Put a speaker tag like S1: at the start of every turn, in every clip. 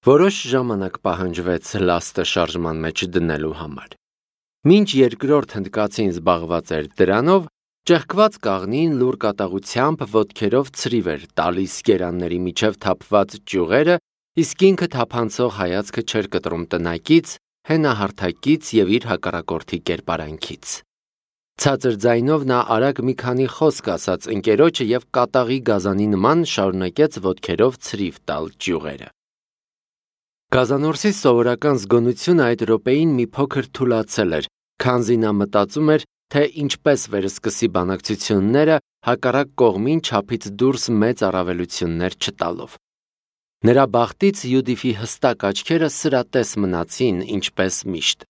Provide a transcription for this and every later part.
S1: Որոշ ժամանակ պահանջվեց լաստը շարժման մեջ դնելու համար։ Մինչ երկրորդ հնդկացին զբաղված էր դրանով, ճեղքված կաղնին լուր կատաղությամբ ոտքերով ցրիվ էր տալիս գերանների միջև թափված ճյուղերը, իսկ ինքը թափանցող հայացքը չէր կտրում տնակից, հենահարթակից և իր հակառակորդի կերպարանքից։ Ցածր ձայնով նա արագ մի քանի խոսք ասաց ընկերոջը և կատաղի գազանի նման շարունակեց ոտքերով ցրիվ տալ ճյուղերը։ Գազանորսի սովորական զգոնությունը այդ րոպեին մի փոքր թուլացել էր, քանզի նա մտածում էր, թե ինչպես վերսկսի բանակցությունները հակառակ կողմին չափից դուրս մեծ առավելություններ չտալով։ Նրա բախտից Յուդիֆի հստակ աչքերը սրատես մնացին, ինչպես միշտ։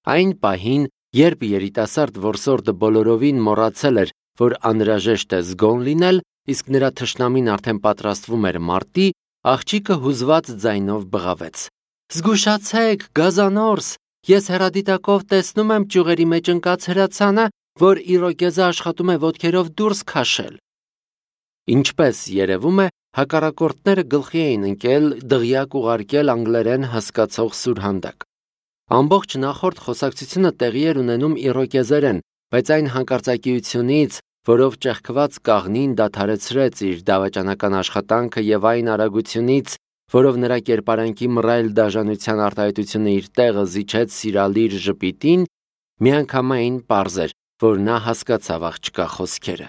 S1: Այն պահին, երբ երիտասարդ որսորդը բոլորովին մոռացել էր, որ անհրաժեշտ է զգոն լինել, իսկ նրա թշնամին արդեն պատրաստվում էր մարտի, աղջիկը հուզված ձայնով բղավեց. «Զգուշացեք, գազանորս, ես հեռադիտակով տեսնում եմ ճյուղերի մեջ ընկած հրացանը, որ Իրոկեզը աշխատում է ոտքերով դուրս քաշել»։ Ինչպես երևում է, հակառակորդները գլխի էին ընկել դղյակ ուղարկել անգլերեն հասկացող սուրհանդակ։ Ամբողջ նախորդ խոսակցությունը տեղի էր ունենում իրոկեզերեն, բայց այն հանկարծակիությունից, որով ճեղքված կաղնին դադարեցրեց իր դավաճանական աշխատանքը և այն արագությունից, որով նրա կերպարանքի մռայլ դաժանության արտահայտությունը իր տեղը զիջեց սիրալիր ժպիտին, միանգամայն պարզ էր, որ նա հասկացավ աղջկա խոսքերը։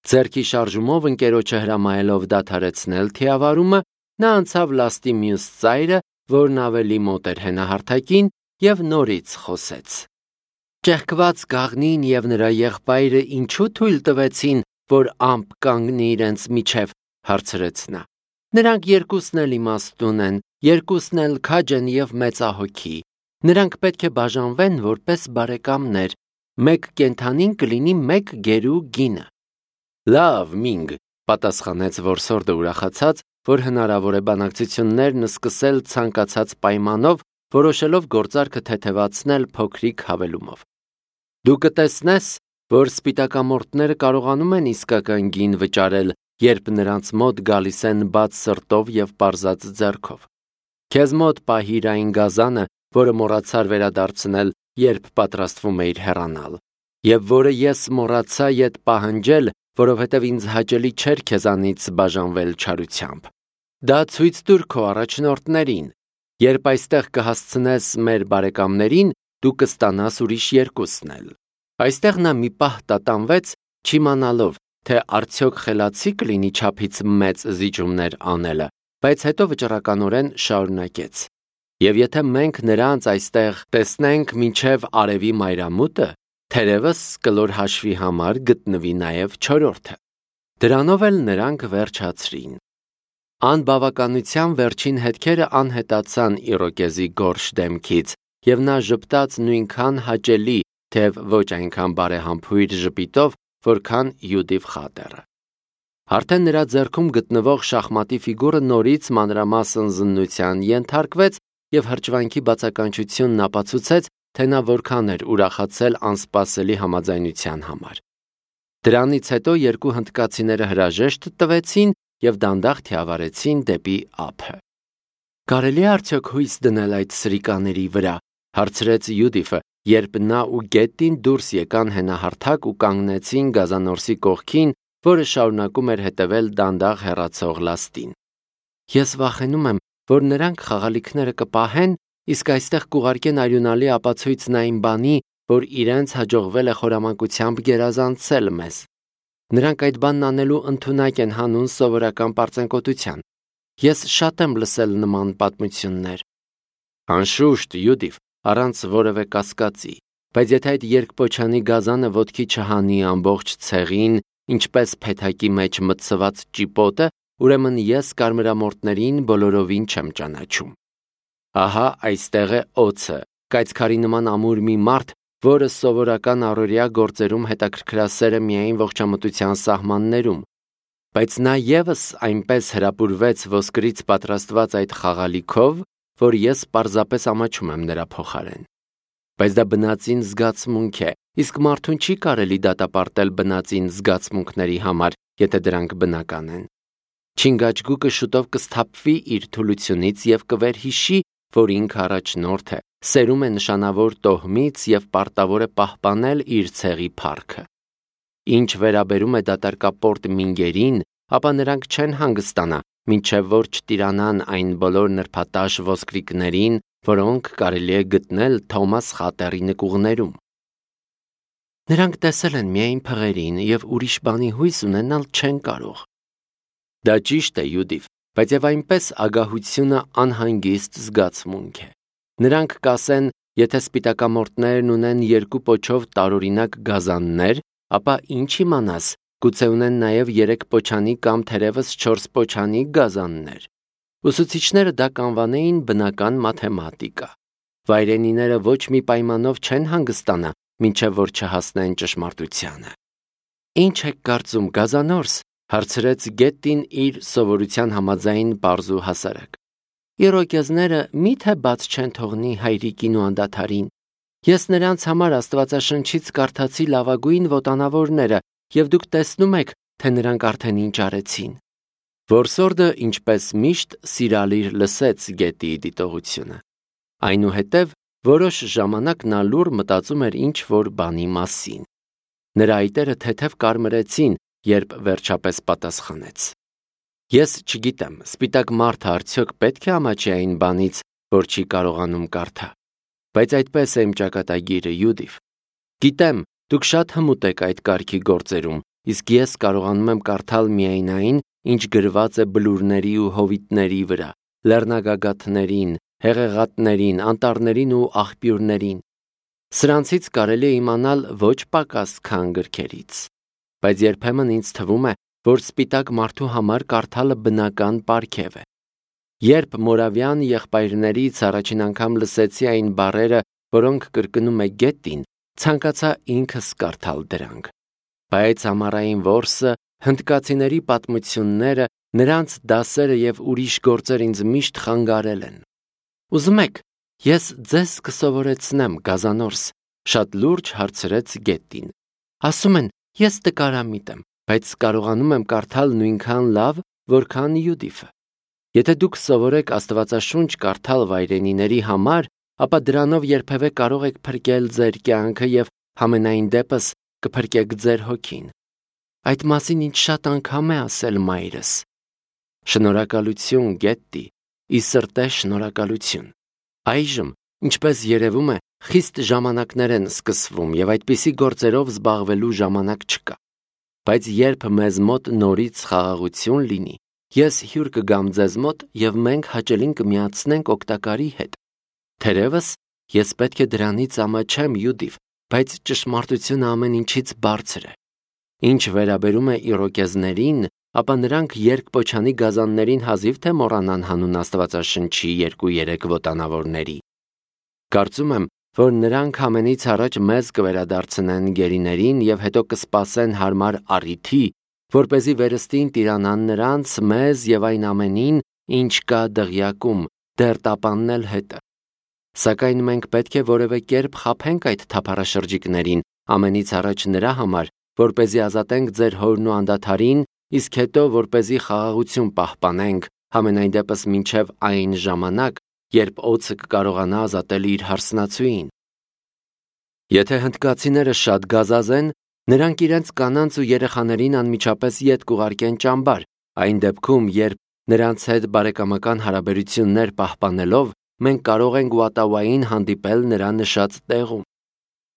S1: Ձեռքի շարժումով ընկերոջը հրամայելով դադարեցնել թիավարումը, նա անցավ լաստի մյուս ծայրը, որն ավելի մոտ էր հենահարթակին, և նորից խոսեց. «Ճեղքված կաղնին և նրա եղբայրը ինչու թույլ տվեցին, որ ամպ կանգնի իրենց միջև», հարցրեց նա։ «Նրանք երկուսն էլ իմաստուն են, երկուսն էլ քաջ են և մեծահոգի։ Նրանք պետք է բաժանվեն որպես բարեկամներ, մեկ կենդանին կլինի մեկ գերու գինը»։ «Լավ, Մինգ», պատասխանեց որսորդը ուրախացած, որ հնարավոր է բանակցություններն սկսել ցանկացած պայմանով, որոշելով գործարքը թեթևացնել փոքրիկ հավելումով։ «Դու կտեսնես, որ սպիտակամորթները կարողանում են իսկական գին վճարել, երբ նրանց մոտ գալիս են բաց սրտով և պարզած ձեռքով։ Քեզ մոտ պահիր այն գազանը, որը մոռացար վերադարձնել, երբ պատրաստվում էիր հեռանալ, և որը ես մոռացա ետ պահանջել, որովհետև ինձ հաճելի չէր քեզանից բաժանվել չարությամբ։ Դա ցույց տուր քո առաջնորդներին։ Երբ այստեղ կհասցնես մեր բարեկամներին, դու կստանաս ուրիշ երկուսն էլ»։ Այստեղ նա մի պահ տատանվեց, չիմանալով, թե արդյոք խելացի կլինի չափից մեծ զիջումներ անելը, բայց հետո վճռականորեն շարունակեց. «Եվ եթե մենք նրանց այստեղ տեսնենք մինչև արևի մայրամուտը, թերևս կլոր հաշվի համար գտնվի նաև չորրորդը»։ Դրանով էլ նրանք վերջացրին։ Անբավականության վերջին հետքերը անհետացան Իրոկեզի գորշ դեմքից, և նա ժպտաց նույնքան հաճելի, թեև ոչ այնքան բարեհամբույր ժպիտով, որքան Յուդիֆ Խատերը։ Արդեն նրա ձեռքում գտնվող շախմատի ֆիգուրը նորից մանրամասն զննության ենթարկվեց, և հրճվանքի բացականչությունն ապացուցեց, թե նա որքան էր ուրախացել անսպասելի համաձայնության համար։ Դրանից հետո երկու հնդկացիները հրաժեշտ տվեցին և դանդաղ թիավարեցին դեպի ափը։ «Կարելի է արդյոք հույս դնել այդ սրիկաների վրա», հարցրեց Յուդիֆը, երբ նա ու Գետտին դուրս եկան հենահարթակ ու կանգնեցին գազանորսի կողքին, որը շարունակում էր հետևել դանդաղ հեռացող լաստին։ «Ես վախենում եմ, որ նրանք խաղալիքները կպահեն, իսկ այստեղ կուղարկեն արյունալի ապացույցն այն բանի, որ իրենց հաջողվել է խորամանկությամբ գերազանցել մեզ։ Նրանք այդ բանն անելու ընդունակ են հանուն սովորական պարծենկոտության։ Ես շատ եմ լսել նման պատմություններ»։ «Անշուշտ, Յուդիֆ, առանց որևէ կասկածի, բայց եթե այդ երկպոչանի գազանը ոտքի չհանի ամբողջ ցեղին, ինչպես փեթակի մեջ մտցված ճիպոտը, ուրեմն ես կարմրամորթներին բոլորովին չեմ ճանաչում։ Ահա այստեղ է օձը, կայծքարի նման ամուր մի մարդ, որը սովորական առօրյա գործերում հետաքրքրասեր է միայն ողջամտության սահմաններում, բայց նա ևս այնպես հրապուրվեց ոսկրից պատրաստված այդ խաղալիքով, որ ես պարզապես ամաչում եմ նրա փոխարեն։ Բայց դա բնածին զգացմունք է, իսկ մարդուն չի կարելի դատապարտել բնածին զգացմունքների համար, եթե դրանք բնական են։ Չինգաչգուկը շուտով կսթափվի իր թուլությունից եւ կվերհիշի, որ ինքը առաջնորդ է, սերում է նշանավոր տոհմից եւ պարտավոր է պահպանել իր ցեղի փառքը։ Ինչ վերաբերում է դատարկապորտ մինգերին, ապա նրանք չեն հանգստանա, մինչև որ չտիրանան այն բոլոր նրբատաշ ոսկրիկներին, որոնք կարելի է գտնել Թոմաս խատերի նկուղներում։ Նրանք տեսել են միայն փղերին եւ ուրիշ բանի հույս ունենալ չեն կարող։ Դա ճիշտ է, Յուդիվ, բայց եւ այնպես ագահությունը անհանգիստ զգացմունք է։ Նրանք կասեն, եթե սպիտակամորտներն ունեն 2 պոչով տարօրինակ գազաններ, ապա ինչ իմանաս, գուցե ունեն նաեւ 3 պոչանի կամ թերևս 4 պոչանի գազաններ։ Ուսուցիչները դա կանվանեին բնական մաթեմատիկա։ Վայրենիները ոչ մի պայմանով չեն հանգստանա, մինչև որ չհասնեն ճշմարտությանը։ Ինչ եք կարծում, գազանորս, հարցրեց Գետտին իր սովորության համաձայն պարզ ու հասարակ։ Իրոկեզները միթե բաց չեն թողնի հայրիկին ու անդադարին։ Ես նրանց համար Աստվածաշնչից կարդացի լավագույն ոտանավորները, եւ դուք տեսնում եք, թե նրանք արդեն ինչ արեցին։ Որսորդը, ինչպես միշտ, սիրալիր լսեց Գետիի դիտողությունը։ Այնուհետև որոշ ժամանակ նա լուռ մտածում էր ինչ-որ բանի մասին։ Նրա այտերը թեթև կարմրեցին, երբ վերջապես պատասխանեց. Ես չգիտեմ, սպիտակ մարդը արդյոք պետք է ամաչի այն բանից, որ չի կարողանում կարդա։ Բայց այդպես է իմ ճակատագիրը, Յուդիվ։ Գիտեմ, դուք շատ հմուտ եք այդ կարգի գործերում, իսկ ես կարողանում եմ կարդալ միայն այն, ինչ գրված է բլուրների ու հովիտների վրա, լեռնագագաթներին, հեղեղատներին, անտառներին ու աղբյուրներին։ Սրանցից կարելի է իմանալ ոչ պակաս քան գրքերից։ Բայց երբեմն ինձ թվում է, որ սպիտակ մարդու համար կարդալը բնական պարգև է։ Երբ Մորավյան եղբայրներից առաջին անգամ լսեցի այն բառերը, որոնք կրկնում է Գետին, ցանկացա ինքս կարդալ դրանք։ Բայց ամառային որսը, հնդկացիների պատմությունները, նրանց դասերը եւ ուրիշ գործեր ինձ միշտ խանգարել են։ Ուզում եք, ես ձեզ կսովորեցնեմ, գազանորս, շատ լուրջ հարցրեց Գետին։ Ասում են, ես տկարամիտ եմ, բայց կարողանում եմ կարդալ նույնքան լավ, որքան Յուդիֆը։ Եթե դուք սովորեք Աստվածաշունչ կարդալ վայրենիների համար, ապա դրանով երբևէ կարող եք փրկել ձեր կյանքը եւ համենայն դեպս կփրկեք ձեր հոգին։ Այդ մասին ինձ շատ անգամ է ասել մայրս։ Շնորհակալություն, Գետտի, ի սրտե շնորհակալություն։ Այժմ, ինչպես երևում է, խիստ ժամանակներ են սկսվում եւ այդպիսի գործերով զբաղվելու ժամանակ չկա։ Բայց երբ մեզ մոտ նորից խաղաղություն լինի, ես հյուր կգամ ձեզ մոտ եւ մենք հաճելին կմիացնենք օգտակարի հետ։ Թերևս ես պետք է դրանից ամաչեմ, Յուդիվ, բայց ճշմարտությունը ամեն ինչից բարձր է։ Ինչ վերաբերում է իրոկեզներին, ապա նրանք երկպոչանի գազաններին հազիվ թե մոռանան հանուն Աստվածաշնչի 2-3 ոտանավորների։ Կարծում եմ, որ նրանք ամենից առաջ մեզ կվերադարձնեն գերիներին եւ հետո կսպասեն հարմար առիթի, որպեսզի վերստին տիրանան նրանց, մեզ եւ այն ամենին, ինչ կա դղյակում, դեռ տապաննել հետը։ Սակայն մենք պետք է որևէ կերպ խաբենք այդ թափառաշրջիկներին, ամենից առաջ նրա համար, որպեսզի ազատենք ձեր հորն ու անդադարին, իսկ հետո որպեսզի խաղաղություն պահպանենք, համենայն դեպս մինչև այն ժամանակ, երբ օձը կկարողանա ազատել իր հարսնացուին։ Եթե հնդկացիները շատ գազազեն, նրանք իրենց կանանց ու երեխաներին անմիջապես ետ կուղարկեն ճամբար, այն դեպքում, երբ նրանց հետ բարեկամական հարաբերություններ պահպանելով, մենք կարող ենք Ուատավային հանդիպել նրա նշած տեղում։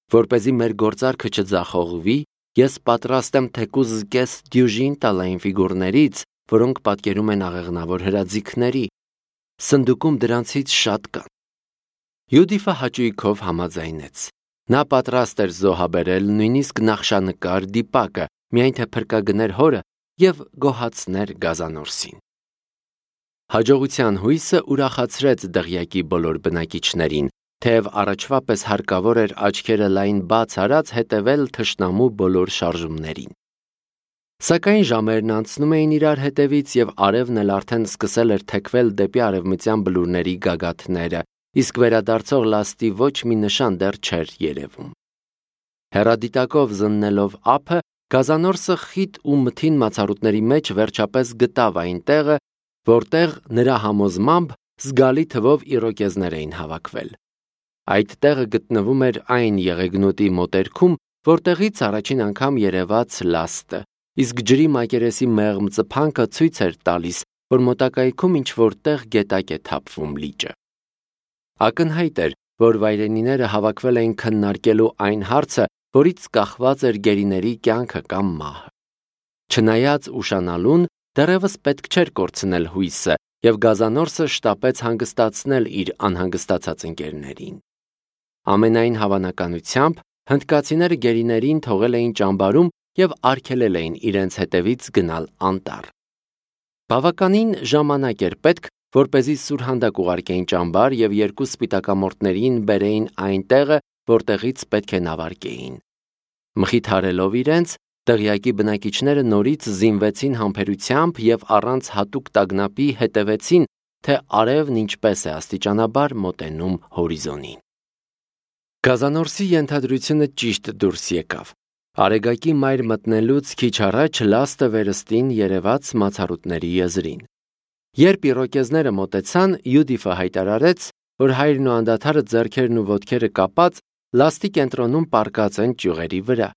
S1: Որպեսզի մեր գործարքը չձախողվի, ես պատրաստ եմ թեկուզ կես դյուժին տալ այն ֆիգուրներից, որոնք պատկերում են աղեղնավոր հրաձիգների։ Սնդուկում դրանցից շատ կան։ Յուդիֆը հաճույքով համաձայնեց։ Նա պատրաստ էր զոհաբերել նույնիսկ նախշանկար դիպակը, միայն թե փրկագներ հորը եւ գոհացներ գազանորսին։ Հաջողության հույսը ուրախացրեց դղյակի բոլոր բնակիչներին, թեև առաջվա պես հարկավոր էր աչքերը լայն բաց արած հետևել թշնամու բոլոր շարժումներին։ Սակայն ժամերն անցնում էին իրար հետևից եւ արևն էլ արդեն սկսել էր թեքվել դեպի արևմտյան բլուրների գագաթները, իսկ վերադարձող լաստի ոչ մի նշան դեռ չէր երևում։ Հեռադիտակով զննելով ափը, գազանորսը խիտ ու մթին մացառուտների մեջ վերջապես գտավ այն տեղը, որտեղ նրա համոզմամբ զգալի թվով իրոկեզներ էին հավաքվել։ Այդ տեղը գտնվում էր այն եղեգնուտի մոտերքում, որտեղից առաջին անգամ երևաց լաստը, իսկ ջրի մակերեսի մեղմ ծփանքը ցույց էր տալիս, որ մոտակայքում ինչ-որ տեղ գետակ է թափվում լիճը։ Ակնհայտ էր, որ վայրենիները հավաքվել էին քննարկելու այն հարցը, որից կախված էր գերիների կյանքը կամ մահը։ Չնայած ուշանալուն, դեռևս պետք չէր կորցնել հույսը, եւ գազանորսը շտապեց հանգստացնել իր անհանգստացած ընկերներին։ Ամենայն հավանականությամբ հնդկացիները գերիներին թողել էին ճամբարում եւ արգելել էին իրենց հետևից գնալ անտառ։ Բավականին ժամանակ էր պետք, որպեսզի սուրհանդակ ուղարկեին ճամբար եւ երկու սպիտակամորտներին բերեին այն տեղը, որտեղից պետք է նավարկեին։ Մխիթարելով իրենց, տեղյակի բնակիչները նորից զինվեցին համբերությամբ եւ առանց հատուկ տագնապի հետևեցին, թե արևն ինչպես է աստիճանաբար մոտենում հորիզոնին։ Գազանորսի ենթադրությունը ճիշտ դուրս եկավ։ Արեգակի մայր մտնելուց քիչ առաջ լաստը վերստին երևաց մացառուտների եզրին։ Երբ իրոկեզները մոտեցան, Յուդիֆը հայտարարեց, որ հայրն ու անդադարը ձեռքերն ու ոտքերը կապած լաստի կենտրոնում պառկած են ճյուղերի վրա։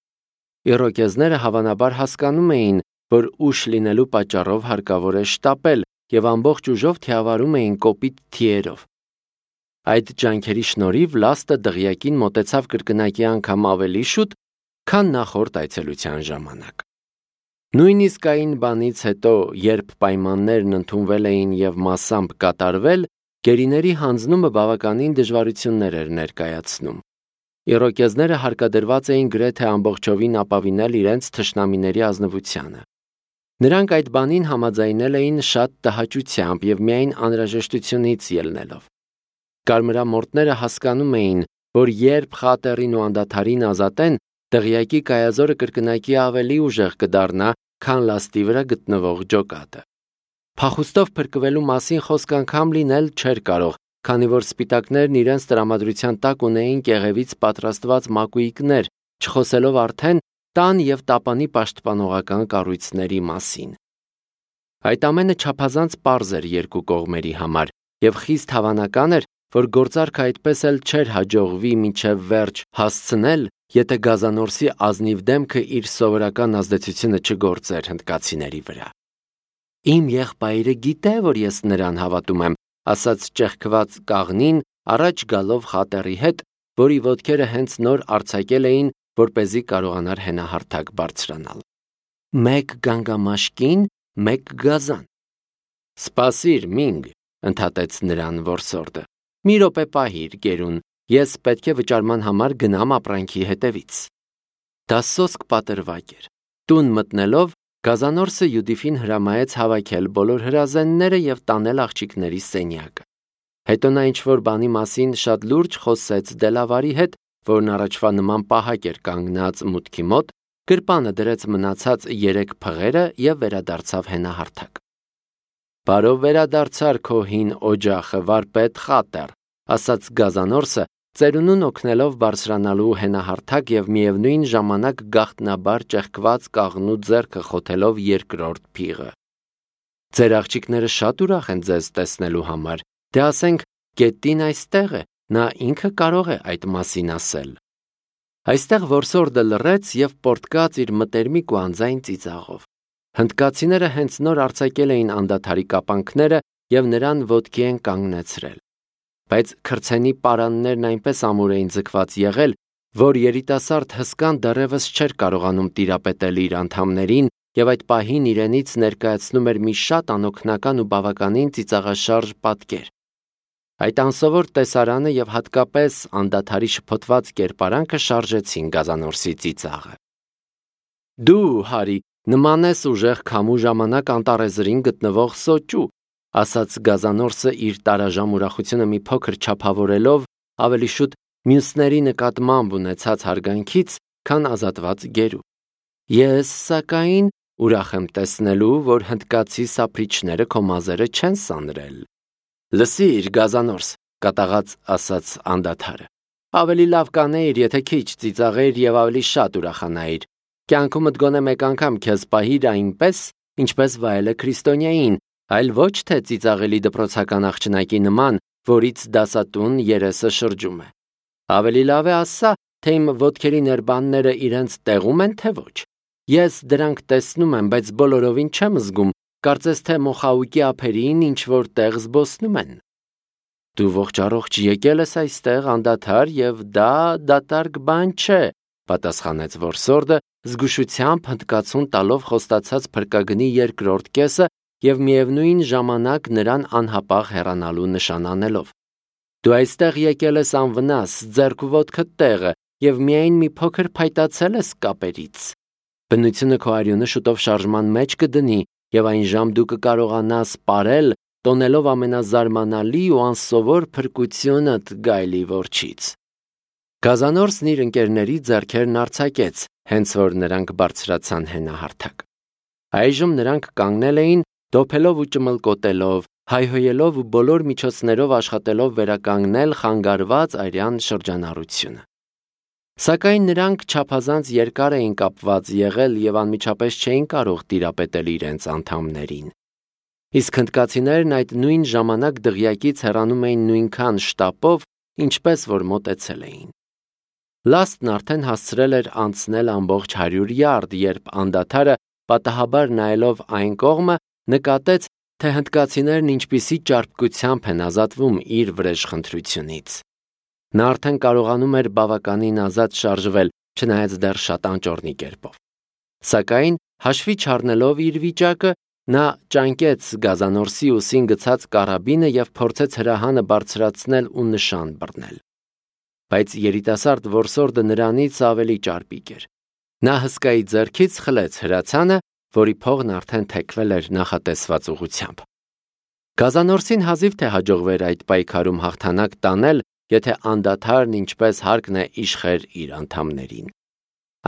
S1: Իրոկեզները հավանաբար հասկանում էին, որ ուշ լինելու պատճառով հարկավոր է շտապել եւ ամբողջ ուժով թիավարում էին կոպիտ թիերով։ Այդ ջանքերի շնորհիվ լաստը դղյակին մոտեցավ կրկնակի անգամ ավելի շուտ, քան նախորդ այցելության ժամանակ։ Նույնիսկ այն բանից հետո, երբ պայմաններն ընդունվել էին եւ մասամբ կատարվել, գերիների հանձնումը բավականին դժվարություններ էր ներկայացնում։ Իրոկեզները հարկադրված էին գրեթե ամբողջովին ապավինել իրենց թշնամիների ազնվությանը։ Նրանք այդ բանին համաձայնել էին շատ տհաճությամբ եւ միայն անհրաժեշտությունից ելնելով։ Կարմրամորտները հասկանում էին, որ երբ խատերին ու անդադարին ազատեն, դղյակի կայազորը կրկնակի ավելի ուժեղ կդառնա, քան լաստի վրա գտնվող ջոկատը։ Փախուստով փրկվելու մասին խոսք անգամ լինել չէր կարող, քանի որ սպիտակներն իրենց տրամադրության տակ ունեին կեղևից պատրաստված մակույկներ, չխոսելով արդեն տան եւ տապանի պաշտպանողական կառույցների մասին։ Այդ ամենը չափազանց պարզ էր երկու կողմերի համար, եւ խիստ հավանական էր, որ գործարքը այդպես էլ չէր հաջողվի մինչև վերջ հասցնել, եթե գազանորսի ազնիվ դեմքը իր սովորական ազդեցությունը չգործեր հնդկացիների վրա։ Իմ եղբայրը գիտե, որ ես նրան հավատում եմ, ասաց ճեղքված կաղնին, առաջ գալով խատերի հետ, որի ոտքերը հենց նոր արձակել էին, որպեսզի կարողանար հենահարթակ բարձրանալ։ Մեկ գանգամաշկին, մեկ գազան։ Սպասիր, Մինգ, ընդհատեց նրան որսորդը։ Մի րոպե պահիր, գերուն, ես պետք է վճարման համար գնամ ապրանքի հետևից։ Դա սոսկ պատրվակ էր։ Տուն մտնելով, գազանորսը Յուդիֆին հրամայեց հավաքել բոլոր հրազենները եւ տանել աղջիկների սենյակը։ Հետո նա ինչ-որ բանի մասին շատ լուրջ խոսեց Դելավարի հետ, որն առաջվա նման պահակ էր կանգնած մուտքի մոտ, գրպանը դրեց մնացած 3 փղերը եւ վերադարձավ հենահարթակ։ Բարով վերադարձար քո հին օջախը, վարպետ խատեր, ասաց գազանորսը, ծերունուն օգնելով բարձրանալու հենահարթակ եւ միևնույն ժամանակ գաղտնաբար ճեղքված կաղնու ձեռքը խոթելով երկրորդ փիղը։ Ձեր աղջիկները շատ ուրախ են ձեզ տեսնելու համար, դե ասենք, գետին այստեղ է, նա ինքը կարող է այդ մասին ասել։ Այստեղ որսորդը լռեց եւ պորտկաց իր մտերմիկ ու անձայն ծիծաղով։ Հնդկացիները հենց նոր արձակել էին անդադարի կապանքները եւ նրան ոտքի են կանգնեցրել։ Բայց քրցենի պարաններն այնպես ամուր էին ձգված եղել, որ երիտասարդ հսկան դեռևս չէր կարողանում տիրապետել իր անդամներին եւ այդ պահին իրենից ներկայացնում էր մի շատ անօգնական ու բավականին ծիծաղաշարժ պատկեր։ Այդ անսովոր տեսարանը եւ հատկապես անդադարի շփոթված կերպարանքը շարժեցին գազանորսի ծիծաղը։ Դու, Հարի, նման ես ուժեղ քամու ժամանակ անտառեզրին գտնվող սոճու, ասաց գազանորսը իր տարաժամ ուրախությունը մի փոքր չափավորելով, ավելի շուտ մյուսների նկատմամբ ունեցած հարգանքից, քան ազատված գերու։ Ես, սակայն, ուրախ եմ տեսնելու, որ հնդկացի սափրիչները քո մազերը չեն սանրել։ Լսիր, գազանորս, կատաղած ասաց անդադարը։ Ավելի լավ կանեիր, եթե քիչ ծիծաղեիր եւ ավելի շատ ուրախանայիր։ կյանքումդ գոնե մեկ անգամ քեզ պահիր այնպես, ինչպես վայելը քրիստոնյային, այլ ոչ թե ծիծաղելի դպրոցական աղջնակի նման, որից դասատուն երեսը շրջում է։ Ավելի լավ է ասա, թե իմ ոտքերի ներբանները իրենց տեղում են, թե ոչ։ Ես դրանք տեսնում եմ, բայց բոլորովին չեմ զգում, կարծես թե մոխաուկի ափերին ինչ-որ տեղ զբոսնում են։ Դու ողջ-առողջ եկել ես այստեղ անդադար և դա դատարկ բան չէ, պատասխանեց որսորդը, զգուշությամբ հնդկացուն տալով խոստացած փրկագնի երկրորդ կեսը և միևնույն ժամանակ նրան անհապաղ հեռանալու նշան անելով։ Դու այստեղ եկել ես անվնաս, ձեռք ու ոտքդ տեղը և միայն մի փոքր փայտացել ես կապերից։ Բնությունը քո արյունը շուտով շարժման մեջ կդնի և այն ժամ դու կկարողանաս պարել, տոնելով ամենազարմանալի ու անսովոր փրկությունդ գայլի որջից։ Գազանորսն իր ընկերների ձեռքերն արձակեց, հենց որ նրանք բարձրացան հենահարթակ։ Այժմ նրանք կանգնել էին, դոփելով ու ճմլկոտելով, հայհոյելով ու բոլոր միջոցներով աշխատելով վերականգնել խանգարված արյան շրջանառությունը։ Սակայն նրանք չափազանց երկար էին կապված եղել և անմիջապես չէին կարող տիրապետել իրենց անդամներին։ Իսկ հնդկացիներն այդ նույն ժամանակ դղյակից հեռանում էին նույնքան շտապով, ինչպես որ մոտեցել էին։ Լաստն արդեն հասցրել էր անցնել ամբողջ 100 յարդ, երբ անդադարը, պատահաբար նայելով այն կողմը, նկատեց, թե հնդկացիներն ինչպիսի ճարպկությամբ են ազատվում իր վրեժխնդրությունից։ Նա արդեն կարողանում էր բավականին ազատ շարժվել, չնայած դեռ շատ անճոռնի կերպով։ Սակայն, հաշվի չառնելով իր վիճակը, նա ճանկեց գազանորսի ուսին գցած կարաբինը և փորձեց հրահանը բարձրացնել ու նշան բռնել։ Բայց երիտասարդ որսորդը նրանից ավելի ճարպիկ էր։ Նա հսկայի ձեռքից խլեց հրացանը, որի փողն արդեն թեքվել էր նախատեսված ուղղությամբ։ Գազանորսին հազիվ թե հաջողվեր այդ պայքարում հաղթանակ տանել, եթե անդադարն ինչպես հարկն է իշխեր իր անդամներին։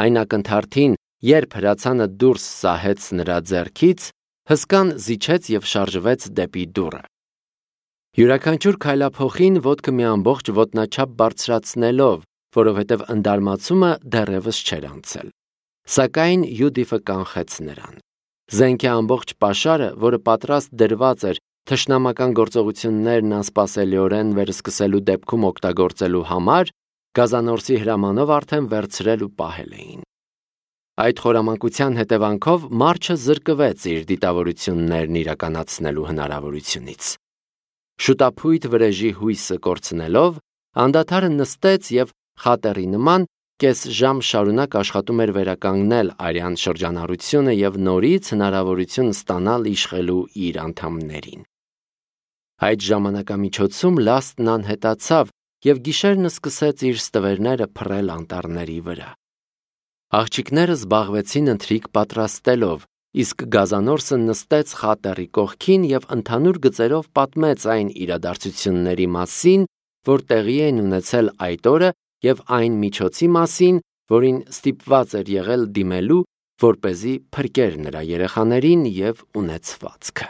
S1: Այն ակնթարթին, երբ հրացանը դուրս սահեց նրա ձեռքից, հսկան զիջեց և շարժվեց դեպի դուռը։ Յուրաքանչյուր քայլափոխին ոտքը մի ամբողջ ոտնաչափ բարձրացնելով, որովհետև ընդարմացումը դեռևս չէր անցել։ Սակայն Յուդիֆը կանխեց նրան։ Զենքի ամբողջ պաշարը, որը պատրաստ դրված էր թշնամական գործողություններն անսպասելիորեն վերսկսելու դեպքում օգտագործելու համար, գազանորսի հրամանով արդեն վերցրել ու պահել էին։ Այդ խորամանկության հետևանքով մարչը զրկվեց իր դիտավորություններն իրականացնելու հնարավորությունից։ Շուտափույթ վրեժի հույսը կորցնելով, անդադարը նստեց և խատերի նման կես ժամ շարունակ աշխատում էր վերականգնել արյան շրջանառությունը և նորից հնարավորություն ստանալ իշխելու իր անդամներին։ Այդ ժամանակամիջոցում Լաստն անհետացավ և գիշերն սկսեց իր ստվերները փռել անտառների վրա։ Աղջիկները զբաղվեցին ընթրիք պատրաստելով, իսկ գազանորսը նստեց խատերի կողքին և ընդհանուր գծերով պատմեց այն իրադարձությունների մասին, որ տեղի էին ունեցել այդ օրը և այն միջոցի մասին, որին ստիպված էր եղել դիմելու, որպեսզի փրկեր նրա երեխաներին և ունեցվածքը։